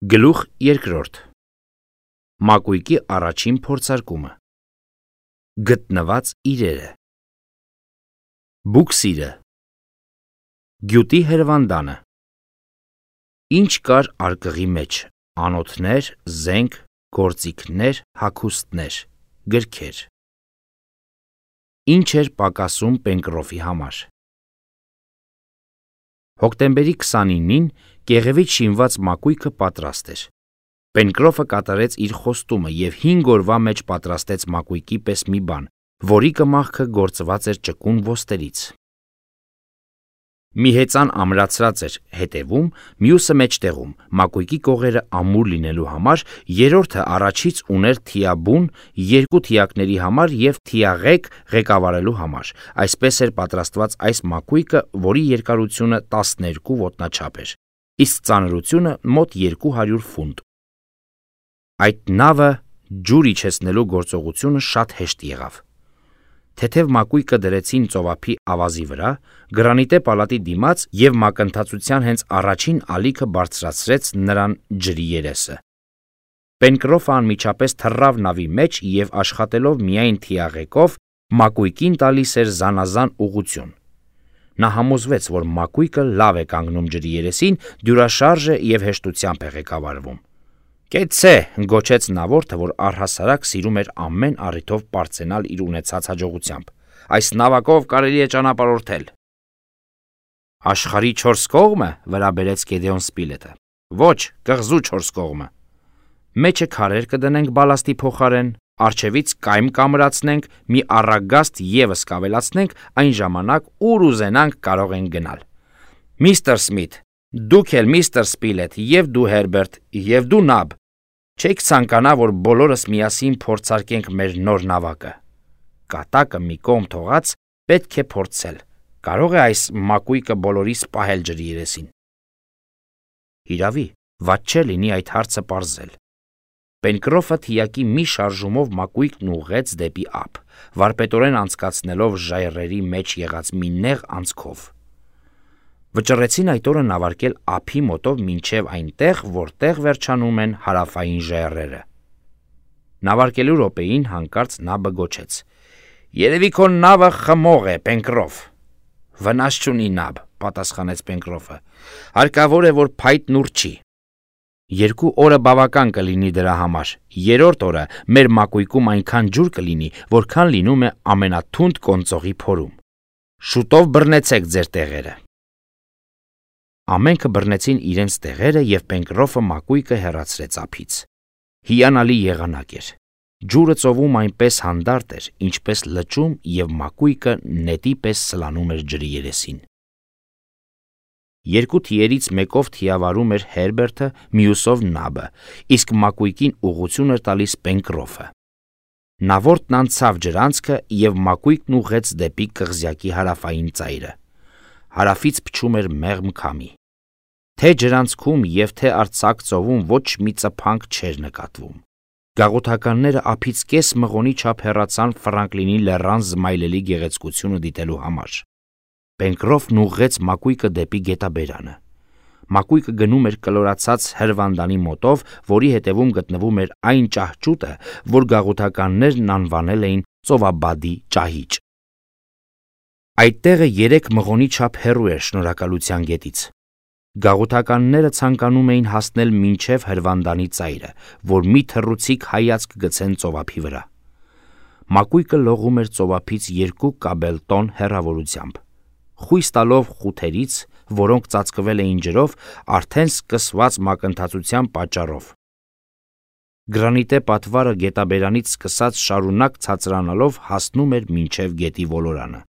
Գլուխ երկրորդ Մակույկի առաջին փորձարկումը Գտնված իրերը Բուքսիրը Գյուտի հրվանդանը Ինչ կար արկղի մեջ, անոթներ, զենք, գործիքներ, հագուստներ, գրքեր Ինչ էր պակասում Պենկրոֆի համար Հոկտեմբերի 29-ին կեղևից շինված մակույկը պատրաստ էր։ Պենկրոֆը կատարեց իր խոստումը և 5 օրվա մեջ պատրաստեց մակույկի պես մի բան, որի կմախքը գործված էր ճկուն ոսկերից։ Մի հեծան ամրացրած էր հետևում, մյուսը մեջտեղում, մակույկի կողերը ամուր լինելու համար, երրորդը առաջից ուներ թիաբուն, 2 թիակների համար և թիաղեկ ղեկավարելու համար։ Այսպես էր պատրաստված այս մակույկը, որի երկարությունը 12 ոտնաչափ էր, իսկ ծանրությունը մոտ 200 ֆունտ։ Այդ նավը ջուր իջեցնելու գործողությունը շատ հեշտ եղավ։ Թեթև մակույկը դրեցին ծովափի ավազի վրա, գրանիտե պալատի դիմաց և մակընթացության հենց առաջին ալիքը բարձրացրեց նրան ջրի երեսը։ Պենկրոֆը անմիջապես թռավ նավի մեջ և աշխատելով միայն թիաղեկով, մակույկին տալիս էր զանազան ուղղություն։ Նա համոզվեց, որ մակույկը լավ է կանգնում ջրի երեսին, դյուրաշարժ է և հեշտությամբ է ղեկավարվում։ «Կեցցե», գոչեց նավորդը, որ առհասարակ սիրում էր ամեն առիթով պարծենալ իր ունեցած հաջողությամբ։ «Այս նավակով կարելի է ճանապարհորդել»։ «Աշխարհի 4 կողմը», վրա բերեց Գեդեոն Սպիլետը։ «Ոչ, կղզու 4 կողմը»։ Մեջը քարեր կդնենք բալաստի փոխարեն, առջևից կայմ կամրացնենք, մի առագաստ ևս կավելացնենք, այն ժամանակ ուր ուզենանք կարող ենք գնալ։ Միստր Սմիթ, դուք էլ միստր Սպիլետ, և դու Հերբերտ, և դու Նաբ, չեք ցանկանա, որ բոլորս միասին փորձարկենք մեր նոր նավակը։ Կատակը մի կողմ թողած, պետք է փորձել։ Կարող է այս մակույկը բոլորիս պահել ջրի երեսին։ Հիրավի, վատ չէ լինի այդ հարցը պարզել։ Պենկրոֆը թիակի մի շարժումով մակույկն ուղղեց դեպի ափ, վարպետորեն անցկացնելով ժայռերի մեջ եղած մի նեղ անցքով։ Վճռեցին այդ օրը նավարկել ափի մոտով մինչև այնտեղ, որտեղ վերջանում են հարավային ժայռերը։ Նավարկելու րոպեին հանկարծ Նաբը գոչեց. «Երևի քո նավը խմող է, Պենկրոֆ»։ «Վնաս չունի, Նաբ», պատասխանեց Պենկրոֆը։ «Հարկավոր է, որ փայտն ուռչի։ 2 օրը բավական կլինի դրա համար։ Երրորդ օրը մեր մակույկում այնքան ջուր կլինի, որքան լինում է ամենաթունդ կոնծողի փորում։ Շուտով բռնեցեք ձեր տեղերը»։ Ամենքը բռնեցին իրենց տեղերը և Պենկրոֆը մակույկը հեռացրեց ափից։ Հիանալի եղանակ էր։ Ջուրը ծովում այնպես հանդարտ էր, ինչպես լճում, և մակույկը նետի պես սլանում էր ջրի երեսին։ 2 թիերից մեկով թիավարում էր Հերբերտը, մյուսով Նաբը, իսկ մակույկին ուղղություն էր տալիս Պենկրոֆը։ Նավորդն անցավ ջրանցքը և մակույկն ուղղեց դեպի կղզյակի հարավային ծայրը։ Հարավից փչում էր մեղմ քամի։ Թե ջրանցքում և թե արձակ ծովում ոչ մի ծփանք չէր նկատվում։ Գաղութականները ափից կես մղոնի չափ հեռացան Ֆրանկլինի լեռան զմայլելի գեղեցկությունը դիտելու համար։ Պենկրոֆն ուղղեց մակույկը դեպի գետաբերանը։ Մակույկը գնում էր կլորացած հրվանդանի մոտով, որի հետևում գտնվում էր այն ճահճուտը, որ գաղութականներն անվանել էին Ծովաբադի ճահիճ։ Այդ տեղը 3 մղոնի չափ հեռու էր Շնորհակալության գետից։ Գաղութականները ցանկանում էին հասնել մինչև հրվանդանի ծայրը, որ մի թռուցիկ հայացք գցեն ծովափի վրա։ Մակույկը լողում էր ծովափից 2 կաբելտոն հեռավորությամբ։ Խույս տալով խութերից, որոնք ծածկվել էին ջրով, արդեն սկսված մակընթացության պատճառով։ Գրանիտե պատվարը գետաբերանից սկսած շարունակ ցածրանալով հասնում էր մինչև գետի ոլորանը։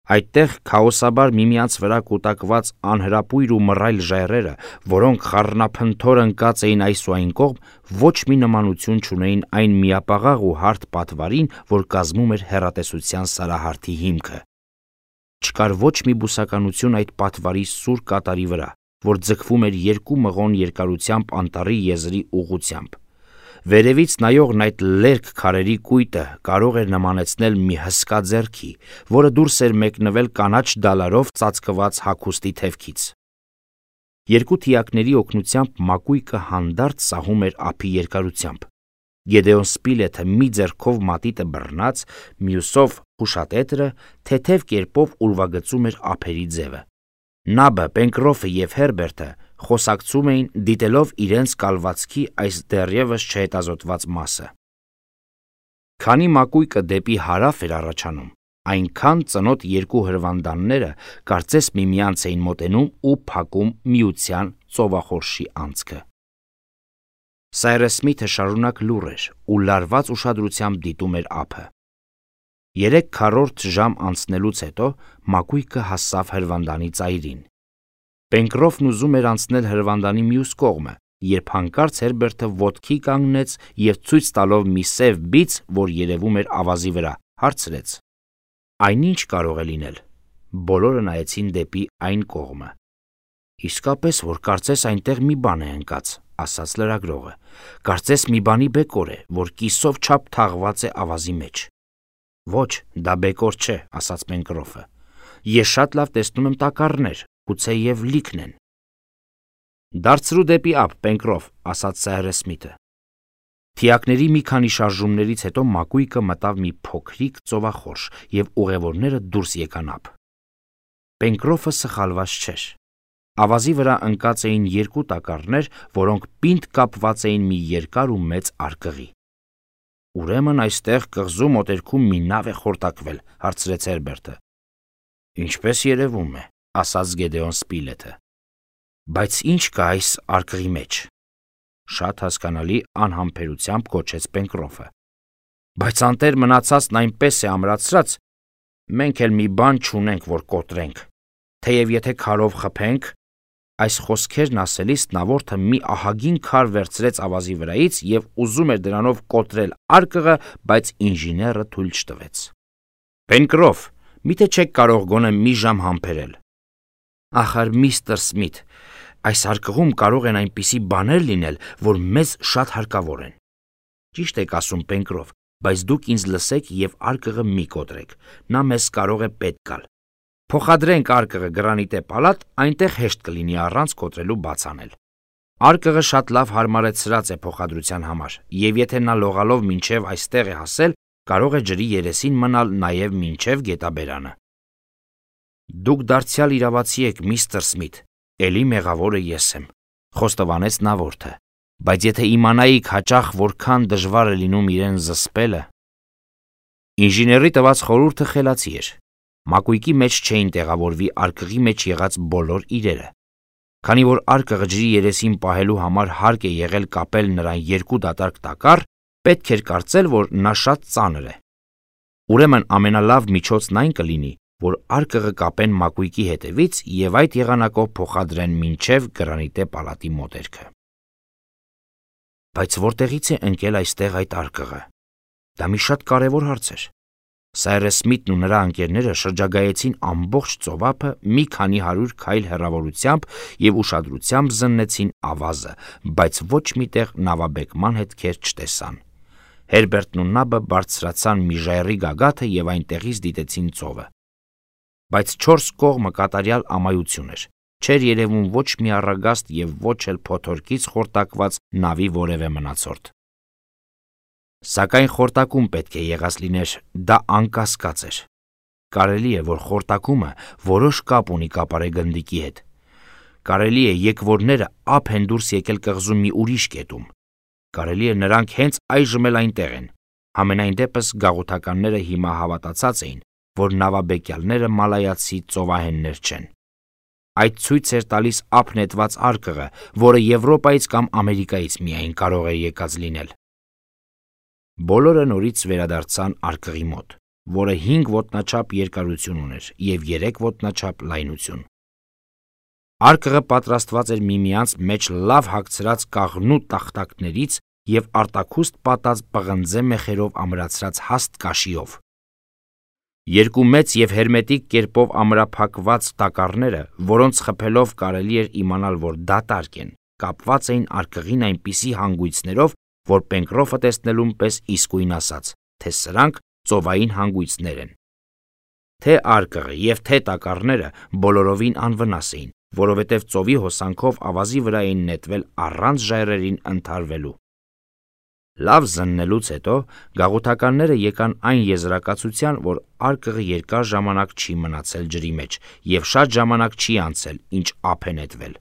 Այդտեղ քաոսաբար միմյանց վրա կուտակված անհրապույր ու մռայլ ժայռերը, որոնք խառնափնթոր ընկած էին այս ու այն կողմ, ոչ մի նմանություն չունեին այն միապաղաղ ու հարթ պատվարին, որ կազմում էր հեռատեսության սարահարթի հիմքը։ Չկար ոչ մի բուսականություն այդ պատվարի սուր կատարի վրա, որ ձգվում էր 2 մղոն երկարությամբ անտառի եզրի ուղղությամբ։ Վերևից նայողն այդ լերկ քարերի կույտը կարող էր նմանեցնել մի հսկա ձեռքի, որը դուրս էր մեկնվել կանաչ դալարով ծածկված հագուստի թևքից։ Երկու թիակների օգնությամբ մակույկը հանդարտ սահում էր ափի երկարությամբ։ Գեդեոն Սպիլեթը մի ձեռքով մատիտը բռնած, մյուսով հուշատետրը թեթև կերպով ուրվագծում էր ափերի ձևը։ Նաբը, Պենկրոֆը և Հերբերտը խոսակցում էին, դիտելով իրենց կալվածքի այս դեռևս չհետազոտված մասը։ Քանի մակույկը դեպի հարավ էր առաջանում, այնքան ծնոտ երկու հրվանդանները կարծես միմյանց էին մոտենում ու փակում միության ծովախորշի անցքը։ Սայրս Սմիթը շարունակ լուռ էր ու լարված ուշադրությամբ դիտում էր ափը։ 3/4 ժամ անցնելուց հետո մակույկը հասավ հրվանդանի ծայրին։ Պենկրոֆն ուզում էր անցնել հրվանդանի մյուս կողմը, երբ հանկարծ Հերբերտը ոտքի կանգնեց և ցույց տալով մի սև բիծ, որ երևում էր ավազի վրա, հարցրեց. «Այն ինչ կարող է լինել»։ Բոլորը նայեցին դեպի այն կողմը։ «Իսկապես, որ կարծես այնտեղ մի բան է ընկած», ասաց լրագրողը։ «Կարծես մի բանի բեկոր է, որ կիսով չափ թաղված է ավազի մեջ»։ «Ոչ, դա բեկոր չէ», ասաց Պենկրոֆը։ «Ես շատ լավ տեսնում եմ տակառներ, գուցեև լիքն են»։ «Դարձրու դեպի ափ, Պենկրոֆ», ասաց Սայրս Սմիթը։ Թիակների մի քանի շարժումներից հետո մակույկը մտավ մի փոքրիկ ծովախորշ և ուղևորները դուրս եկան ափ։ Պենկրոֆը սխալված չէր։ Ավազի վրա ընկած էին երկու տակառներ, որոնք պինդ կապված էին մի երկար ու մեծ արկղի։ «Ուրեմն այստեղ կղզու մոտերքում մի նավ է խորտակվել», հարցրեց Հերբերտը։ «Ինչպես երևում է», ասաց Գեդեոն Սպիլեթը։ «Բայց ի՞նչ կա այս արկղի մեջ»։ Շատ հասկանալի անհամբերությամբ գոչեց Պենկրոֆը։ «Բայց անտեր մնացածն այնպես է ամրացրած, մենք էլ մի բան չունենք, որ կոտրենք։ Թեև եթե քարով խփենք»։ Այս խոսքերն ասելիս նավորդը մի ահագին քար վերցրեց ավազի վրայից և ուզում էր դրանով կոտրել արկղը, բայց ինժեները թույլ չտվեց։ «Պենկրոֆ, միթե չեք կարող գոնե մի ժամ համբերել»։ «Ախար, միստր Սմիթ, այս արկղում կարող են այնպիսի բաներ լինել, որ մեզ շատ հարկավոր են»։ «Ճիշտ եք ասում, Պենկրոֆ, բայց դուք ինձ լսեք և արկղը մի կոտրեք, նա մեզ կարող է պետք գալ։ Փոխադրենք արկղը գրանիտե պալատ, այնտեղ հեշտ կլինի առանց կոտրելու բաց անել։ Արկղը շատ լավ հարմարեցրած է փոխադրության համար, և եթե նա լողալով մինչև այստեղ է հասել, կարող է ջրի երեսին մնալ նաև մինչև գետաբերանը»։ «Դուք դարձյալ իրավացի եք, միստր Սմիթ, էլի մեղավորը ես եմ», խոստովանեց նավորդը, «բայց եթե իմանայիք հաճախ որքան դժվար է լինում իրեն զսպելը»։ Ինժեների տված խորհուրդը խելացի էր։ Մակույկի մեջ չէին տեղավորվի արկղի մեջ եղած բոլոր իրերը։ Քանի որ արկղը ջրի երեսին պահելու համար հարկ է եղել կապել նրան երկու դատարկ տակառ, պետք էր կարծել, որ նա շատ ծանր է։ Ուրեմն ամենալավ միջոցն այն կլինի, որ արկղը կապեն մակույկի հետևից և այդ եղանակով փոխադրեն մինչև գրանիտե պալատի մոտերքը։ Բայց որտեղից է ընկել այստեղ այդ արկղը։ Դա մի շատ կարևոր հարց էր։ Սայրս Սմիթն ու նրա ընկերները շրջագայեցին ամբողջ ծովափը մի քանի 100 քայլ հեռավորությամբ և ուշադրությամբ զննեցին ավազը, բայց ոչ մի տեղ նավաբեկման հետքեր չտեսան։ Հերբերտն ու Նաբը բարձրացան մի ժայռի գագաթը և այնտեղից դիտեցին ծովը։ Բայց 4 կողմը կատարյալ ամայություն էր։ Չէր երևում ոչ մի առագաստ և ոչ էլ փոթորկից խորտակված նավի որևէ մնացորդ։ Սակայն խորտակում պետք է եղած լիներ, դա անկասկած էր։ Կարելի է, որ խորտակումը որոշ կապ ունի կապարեգնդիկի հետ։ Կարելի է եկվորները ափ են դուրս եկել կղզու մի ուրիշ կետում։ Կարելի է նրանք հենց այժմ էլ այնտեղ են։ Համենայն դեպս գաղութականները հիմա հավատացած էին, որ նավաբեկյալները մալայացի ծովահեններ չեն։ Այդ ցույց էր տալիս ափ նետված արկղը, որը Եվրոպայից կամ Ամերիկայից միայն կարող էր եկած լինել։ Բոլորը նորից վերադարձան արկղի մոտ, որը 5 ոտնաչափ երկարություն ուներ և 3 ոտնաչափ լայնություն։ Արկղը պատրաստված էր միմյանց մեջ լավ հագցրած կաղնու տախտակներից և արտաքուստ պատած պղնձե մեխերով ամրացրած հաստ կաշիով։ Երկու մեծ և հերմետիկ կերպով ամրափակված տակառները, որոնց խփելով կարելի էր իմանալ, որ դատարկ են, կապված էին արկղին այնպիսի հանգույցներով, որ Պենկրոֆը տեսնելուն պես իսկույն ասաց, թե սրանք ծովային հանգույցներ են։ Թե արկղը և թե տակառները բոլորովին անվնաս էին, որովհետև ծովի հոսանքով ավազի վրա էին նետվել առանց ժայռերին ընդհարվելու։ Լավ զննելուց հետո գաղութականները եկան այն եզրակացության, որ արկղը երկար ժամանակ չի մնացել ջրի մեջ և շատ ժամանակ չի անցել, ինչ ափ է նետվել։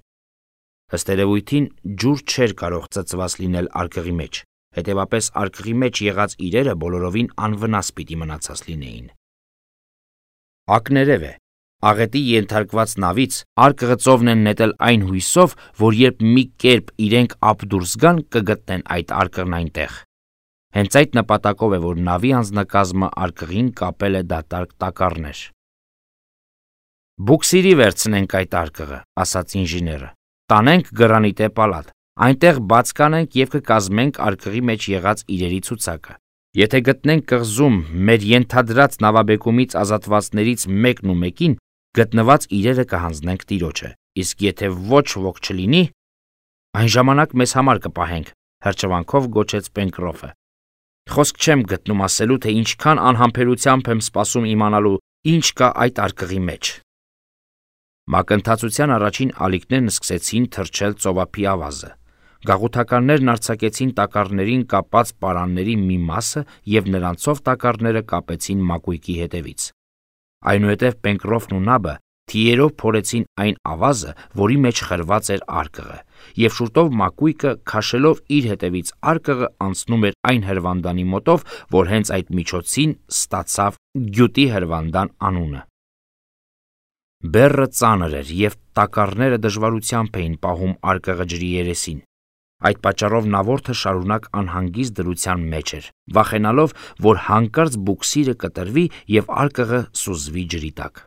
Ըստ երևույթին ջուր չէր կարող ծծված լինել արկղի մեջ, հետևապես արկղի մեջ եղած իրերը բոլորովին անվնաս պիտի մնացած լինեին։ Ակներև է, աղետի ենթարկված նավից արկղը ծովն են նետել այն հույսով, որ երբ մի կերպ իրենք ափ դուրս գան, կգտնեն այդ արկղն այնտեղ։ Հենց այդ նպատակով է, որ նավի անձնակազմը արկղին կապել է դատարկ տակառներ։ Բուքսիրի վերցնենք այդ արկղը, ասաց ինժեները, տանենք գրանիտե պալատ, այնտեղ բաց կանենք և կկազմենք արկղի մեջ եղած իրերի ցուցակը։ Եթե գտնենք կղզում մեր ենթադրած նավաբեկումից ազատվածներից մեկն ու մեկին, գտնված իրերը կհանձնենք տիրոջը, իսկ եթե ոչ ոք չլինի, այն ժամանակ մեզ համար կպահենք, հրճվանքով գոչեց Պենկրոֆը։ Խոսք չեմ գտնում ասելու, թե ինչքան անհամբերությամբ եմ սպասում իմանալու, ինչ կա այդ արկղի մեջ։ Մակընթացության առաջին ալիքներն սկսեցին թրջել ծովափի ավազը։ Գաղութականներն արձակեցին տակառներին կապած պարանների մի մասը և նրանցով տակառները կապեցին մակույկի հետևից։ Այնուհետև Պենկրոֆն ու Նաբը թիերով փորեցին այն ավազը, որի մեջ խրված էր արկղը, և շուտով մակույկը, քաշելով իր հետևից արկղը, անցնում էր այն հրվանդանի մոտով, որ հենց այդ միջոցին ստացավ գյուտի հրվանդան անունը։ Բեռը ծանր էր, և տակառները դժվարությամբ էին պահում արկղը ջրի երեսին։ Այդ պատճառով նավորդը շարունակ անհանգիստ դրության մեջ էր, վախենալով, որ հանկարծ բուքսիրը կտրվի և արկղը սուզվի ջրի տակ։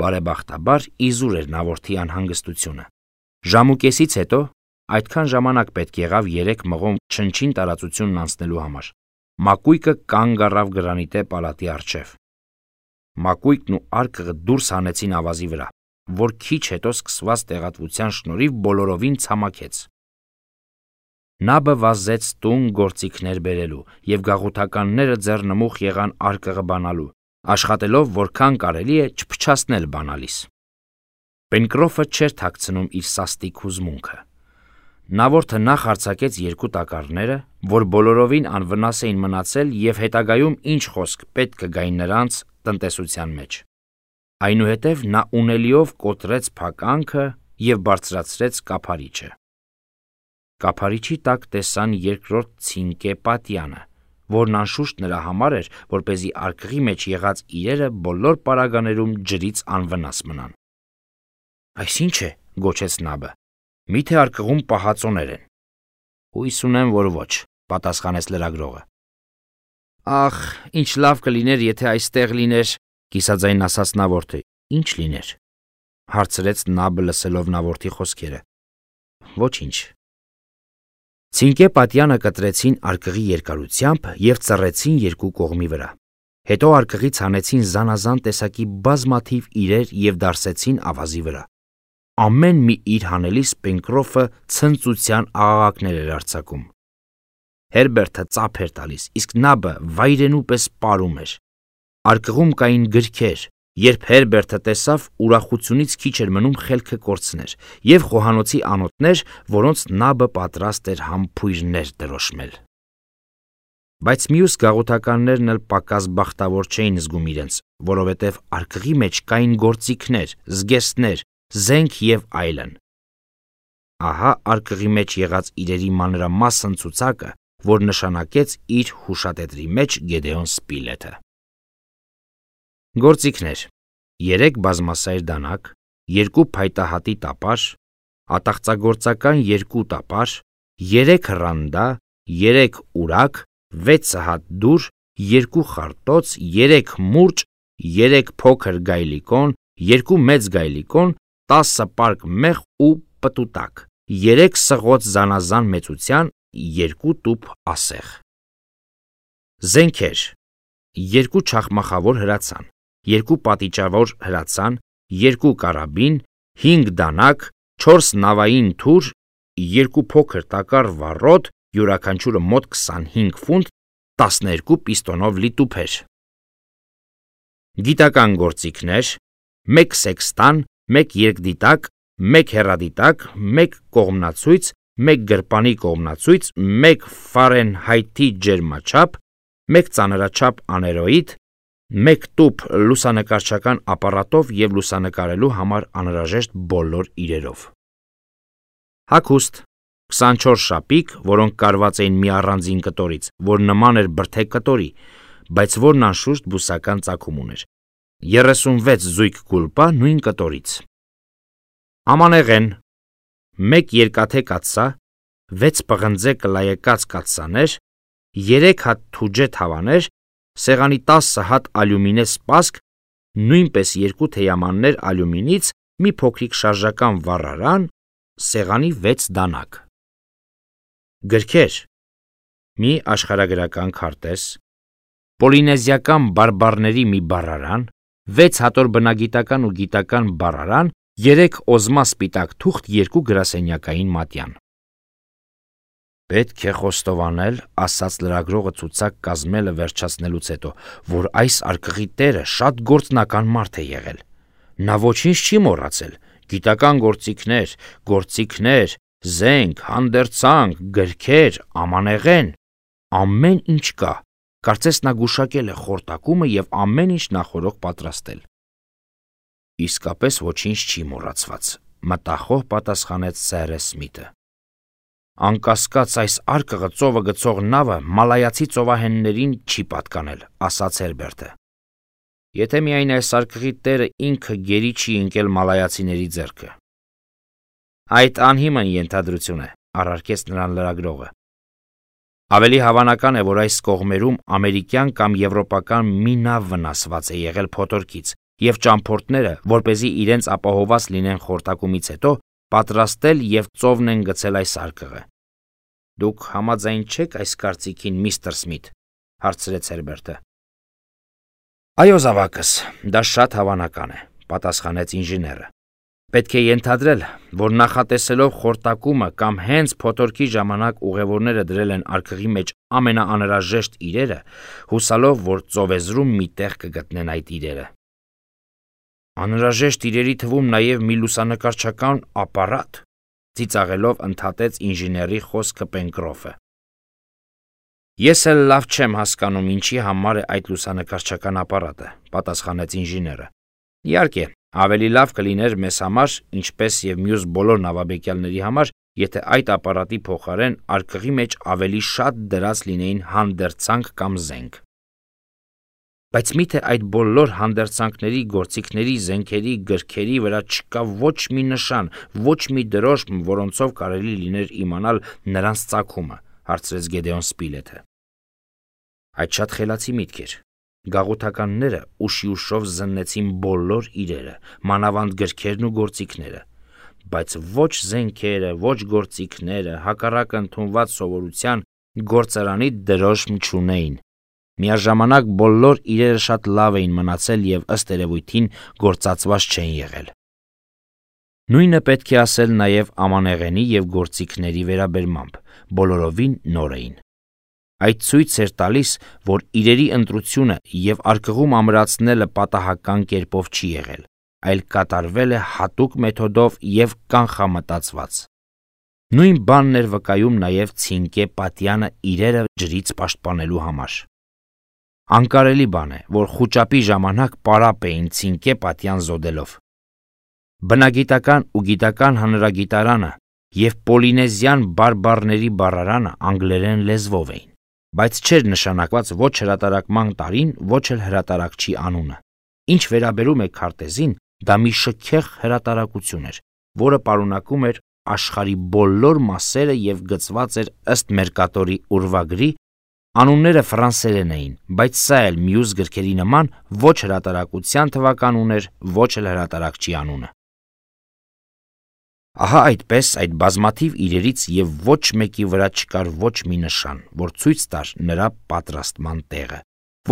Բարեբախտաբար իզուր էր նավորդի անհանգստությունը։ Ժամուկեսից հետո, այդքան ժամանակ պետք եղավ 3 մղոն չնչին տարածությունն անցնելու համար, մակույկը կանգ առավ գրանիտե պալատի առջև։ Մակույկն ու արկղը դուրս հանեցին ավազի վրա, որ քիչ հետո սկսված տեղատվության շնորհիվ բոլորովին ցամաքեց։ Նաբը վազեց տուն գործիքներ բերելու, և գաղութականները ձեռնմուխ եղան արկղը բանալու, աշխատելով որքան կարելի է չփչացնել բանալիս։ Պենկրոֆը չէր թաքցնում իր սաստիկ հուզմունքը։ Նավորդը նախ արձակեց 2 տակառները, որ բոլորովին անվնաս էին մնացել և հետագայում ինչ խոսք պետք կգային նրանց տնտեսության մեջ։ Այնուհետև նա ունելիով կոտրեց փականքը և բարձրացրեց կափարիչը։ Կափարիչի տակ տեսան երկրորդ ցինկե պատյանը, որն անշուշտ նրա համար էր, որպեսզի արկղի մեջ եղած իրերը բոլոր պարագաներում ջրից անվնաս մնան։ Այս ի՞նչ է, գոչեց Նաբը, միթե արկղում պահածոներ են։ Հույս ունեմ, որ ոչ, պատասխանեց լրագրողը։ Ախ, ինչ լավ կլիներ, եթե այստեղ լիներ, կիսաձայն ասաց նավորդը։ Ինչ լիներ, հարցրեց Նաբը լսելով նավորդի խոսքերը։ Ոչինչ։ Ցինկե պատյանը կտրեցին արկղի երկարությամբ և ծռեցին 2 կողմի վրա։ Հետո արկղից հանեցին զանազան տեսակի բազմաթիվ իրեր և դարսեցին ավազի վրա։ Ամեն մի իր հանելիս Պենկրոֆը ցնծության աղաղակներ էր արձակում։ Հերբերտը ծափ էր տալիս, իսկ Նաբը վայրենու պես պարում էր։ Արկղում կային գրքեր։ Երբ Հերբերտը տեսավ, ուրախությունից քիչ էր մնում խելքը կորցներ, և խոհանոցի անոթներ, որոնց Նաբը պատրաստ էր համբույրներ դրոշմել։ Բայց մյուս գաղութականներն էլ պակաս բախտավոր չէին զգում իրենց, որովհետև արկղի մեջ կային գործիքներ, զգեստներ, զենք և այլն։ Ահա արկղի մեջ եղած իրերի մանրամասն ցուցակը, որ նշանակեց իր հուշատետրի մեջ Գեդեոն Սպիլեթը։ Գործիքներ. 3 բազմասայր դանակ, 2 փայտահատի տապար, ատաղծագործական 2 տապար, 3 ռանդա, 3 ուրակ, 6 հատ դուր, 2 խարտոց, 3 մուրճ, 3 փոքր գայլիկոն, 2 մեծ գայլիկոն, 10 պարկ մեղ ու պտուտակ, 3 սղոց զանազան մեծության, 2 տուփ ասեղ։ Զենքեր. 2 չախմախավոր հրացան, 2 պատիճավոր հրացան, 2 կարաբին, 5 դանակ, 4 նավային թուր, 2 փոքր տակառ վառոդ, յուրաքանչյուրը մոտ 25 ֆունտ, 12 պիստոնով լի տուփեր։ Գիտական գործիքներ. 1 սեքստան, 1 երկդիտակ, 1 հեռադիտակ, 1 կողմնացույց, 1 գրպանի կողմնացույց, 1 Ֆարենհայթի ջերմաչափ, 1 ծանրաչափ աներոիդ, 1 տուփ լուսանկարչական ապարատով և լուսանկարելու համար անհրաժեշտ բոլոր իրերով։ Հագուստ 24 շապիկ, որոնք կարված էին մի առանձին կտորից, որ նման էր բրդե կտորի, բայց որն անշուշտ բուսական ծագում ուներ, 36 զույգ գուլպա նույն կտորից։ Ամանեղեն 1 երկաթե կաթսա, 6 պղնձե կլայեկած կաթսաներ, 3 հատ թուջե թավաներ, սեղանի 10 հատ ալյումինե սպասք, նույնպես 2 թեյամաններ ալյումինից, մի փոքրիկ շարժական վառարան, սեղանի 6 դանակ։ Գրքեր՝ մի աշխարհագրական քարտեզ, պոլինեզիական բարբառների մի բառարան, 6 հատոր բնագիտական ու գիտական բառարան, 3 օզմա սպիտակ թուղթ, 2 գրասենյակային մատյան։ Պետք է խոստովանել, ասաց լրագրողը ցուցակ կազմելը վերջացնելուց հետո, որ այս արկղի տերը շատ գործնական մարդ է եղել։ Նա ոչինչ չի մոռացել. գիտական գործիքներ, զենք, հանդերձանք, գրքեր, ամանեղեն, ամեն ինչ կա։ Կարծես նա գուշակել է խորտակումը և ամեն ինչ նախօրոք պատրաստել։ Իսկապես ոչինչ չի մոռացված, մտախոհ պատասխանեց Սերը Սմիթը։ Անկասկած այս արկղը ծովը գցող նավը մալայացի ծովահեններին չի պատկանել, ասաց Հերբերտը։ Եթե միայն այս արկղի տերը ինքը գերի չի ընկել մալայացիների ձեռքը։ Այդ անհիմն ենթադրություն է, առարկեց նրան լրագրողը։ Ավելի հավանական է, որ այս կողմերում ամերիկյան կամ եվրոպական մի նավ վնասված է եղել փոթորկից, և ճամփորդները, որպեսզի իրենց ապահովված լինեն խորտակումից հետո, պատրաստել և ծովն են գցել այս արկղը։ Դուք համաձայն չեք այս կարծիքին, միստր Սմիթ, հարցրեց Հերբերտը։ Այո, զավակս, դա շատ հավանական է, պատասխանեց ինժեները։ Պետք է ենթադրել, որ նախատեսելով խորտակումը կամ հենց փոթորկի ժամանակ ուղևորները դրել են արկղի մեջ ամենաանհրաժեշտ իրերը, հուսալով, որ ծովեզրում մի տեղ կգտնեն այդ իրերը։ Անհրաժեշտ իրերի թվում նաև մի լուսանկարչական ապարատ, ծիծաղելով ընդհատեց ինժեների խոսքը Պենկրոֆը։ Ես էլ լավ չեմ հասկանում, ինչի համար է այդ լուսանկարչական ապարատը, պատասխանեց ինժեները։ Իհարկե, ավելի լավ կլիներ մեզ համար, ինչպես և մյուս բոլոր նավաբեկյալների համար, եթե այդ ապարատի փոխարեն արկղի մեջ ավելի շատ դրած լինեին հանդերձանք կամ զենք։ Բայց միթե այդ բոլոր հանդերձանքների, գործիքների, զենքերի, գրքերի վրա չկա ոչ մի նշան, ոչ մի դրոշմ, որոնցով կարելի լիներ իմանալ նրանց ծագումը, հարցրեց Գեդեոն Սպիլեթը։ Այդ շատ խելացի միտք էր։ Գաղութականները ուշի ուշով զննեցին բոլոր իրերը, մանավանդ գրքերն ու գործիքները, բայց ոչ զենքերը, ոչ գործիքները, հակառակ ընդունված սովորության գործարանի դրոշմ չունեին։ Միաժամանակ բոլոր իրերը շատ լավ էին մնացել և ըստ երևույթին գործածված չեն եղել։ Նույնը պետք է ասել նաև ամանեղենի և գործիքների վերաբերմամբ, բոլորովին նոր էին։ Այդ ցույց էր տալիս, որ իրերի ընտրությունը և արկղում ամրացնելը պատահական կերպով չի եղել, այլ կատարվել է հատուկ մեթոդով և կանխամտածված։ Նույն բանն էր վկայում նաև Ցինկե պատյանը իրերը ջրից պաշտպանելու համար։ Անկարելի բան է, որ խուճապի ժամանակ պարապ էին Ցինկե պատյան զոդելով։ Բնագիտական ու գիտական հանրագիտարանը և պոլինեզիան բարբառների բառարանը անգլերեն լեզվով էին, բայց չէր նշանակված ոչ հրատարակման տարին, ոչ էլ հրատարակչի անունը։ Ինչ վերաբերում է քարտեզին, դա մի շքեղ հրատարակություն էր, որը պարունակում էր աշխարհի բոլոր մասերը և գծված էր ըստ Մերկատորի ուրվագրի, անունները ֆրանսերեն էին, բայց սա էլ մյուս գրքերի նման ոչ հրատարակության թվական ուներ, ոչ էլ հրատարակչի անունը։ Ահա այդպես այդ բազմաթիվ իրերից և ոչ մեկի վրա չկար ոչ մի նշան, որ ցույց տար նրա պատրաստման տեղը,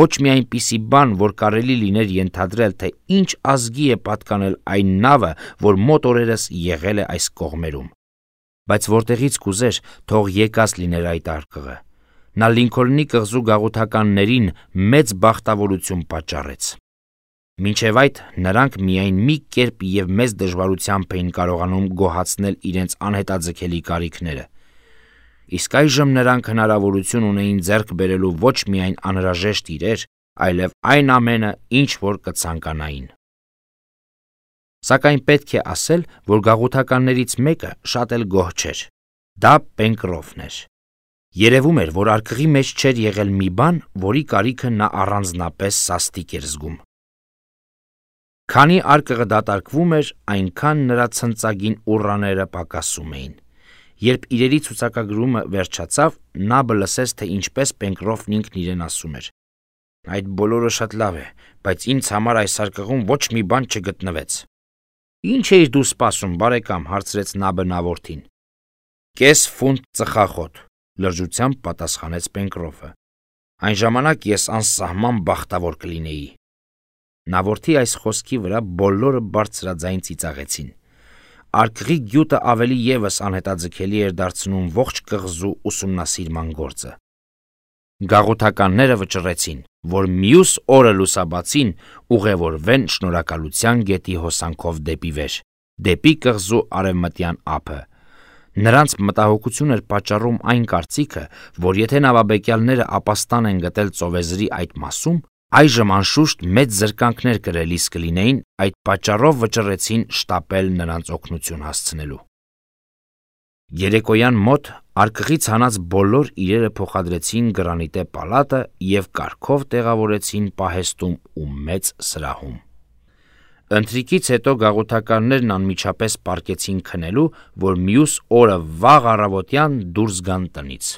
ոչ մի այնպիսի բան, որ կարելի լիներ ենթադրել, թե ինչ ազգի է պատկանել այն նավը, որ մոտ օրերս եղել է այս կողմերում։ Բայց որտեղից կուզեր, թող եկած լիներ այդ արկղը։ Նա Լինքոլնի կղզու գաղութականներին մեծ բախտավորություն պատճառեց։ Մինչև այդ նրանք միայն մի կերպ և մեծ դժվարությամբ էին կարողանում գոհացնել իրենց անհետաձգելի կարիքները։ Իսկ այժմ նրանք հնարավորություն ունեին ձեռք բերելու ոչ միայն անհրաժեշտ իրեր, այլև այն ամենը, ինչ որ կցանկանային։ Սակայն պետք է ասել, որ գաղութականներից մեկը շատ էլ գոհ չէր։ Դա Պենկրոֆն էր։ Երևում էր, որ արկղի մեջ չէր եղել մի բան, որի կարիքը նա առանձնապես սաստիկ էր զգում։ Քանի արկղը դատարկվում էր, այնքան նրա ցնծագին ուռաները պակասում էին։ Երբ իրերի ցուցակագրումը վերջացավ, նա լսեց, թե ինչպես Պենկրոֆն ինքն իրեն ասում էր. «Այդ բոլորը շատ լավ է, բայց ինձ համար այս արկղում ոչ մի բան չգտնվեց»։ «Ինչ էիր դու սպասում, բարեկամ», հարցրեց Նաբը Նավորդին։ «Կես ֆունտ ծխախոտ», լրջությամբ պատասխանեց Պենկրոֆը։ «Այն ժամանակ ես անսահման բախտավոր կլինեի»։ Նավորդի այս խոսքի վրա բոլորը բարձրաձայն ծիծաղեցին։ Արկղի գյուտը ավելի ևս անհետաձգելի էր դարձնում ողջ կղզու ուսումնասիրման գործը։ Գաղութականները վճռեցին, որ մյուս օրը լուսաբացին ուղևորվեն Շնորհակալության գետի հոսանքով դեպի վեր, դեպի կղզու արևմտյան ափը։ Նրանց մտահոգություն էր պատճառում այն կարծիքը, որ եթե նավաբեկյալները ապաստան են գտել ծովեզրի այդ մասում, այժմ անշուշտ մեծ զրկանքներ կրելիս կլինեին, այդ պատճառով վճռեցին շտապել նրանց օգնություն հասցնելու։ Երեկոյան մոտ արկղից հանած բոլոր իրերը փոխադրեցին գրանիտե պալատը և կարգով տեղավորեցին պահեստում ու մեծ սրահում։ Ընթրիքից հետո գաղութականներն անմիջապես պառկեցին քնելու, որ մյուս օրը վաղ առավոտյան դուրս գան տնից։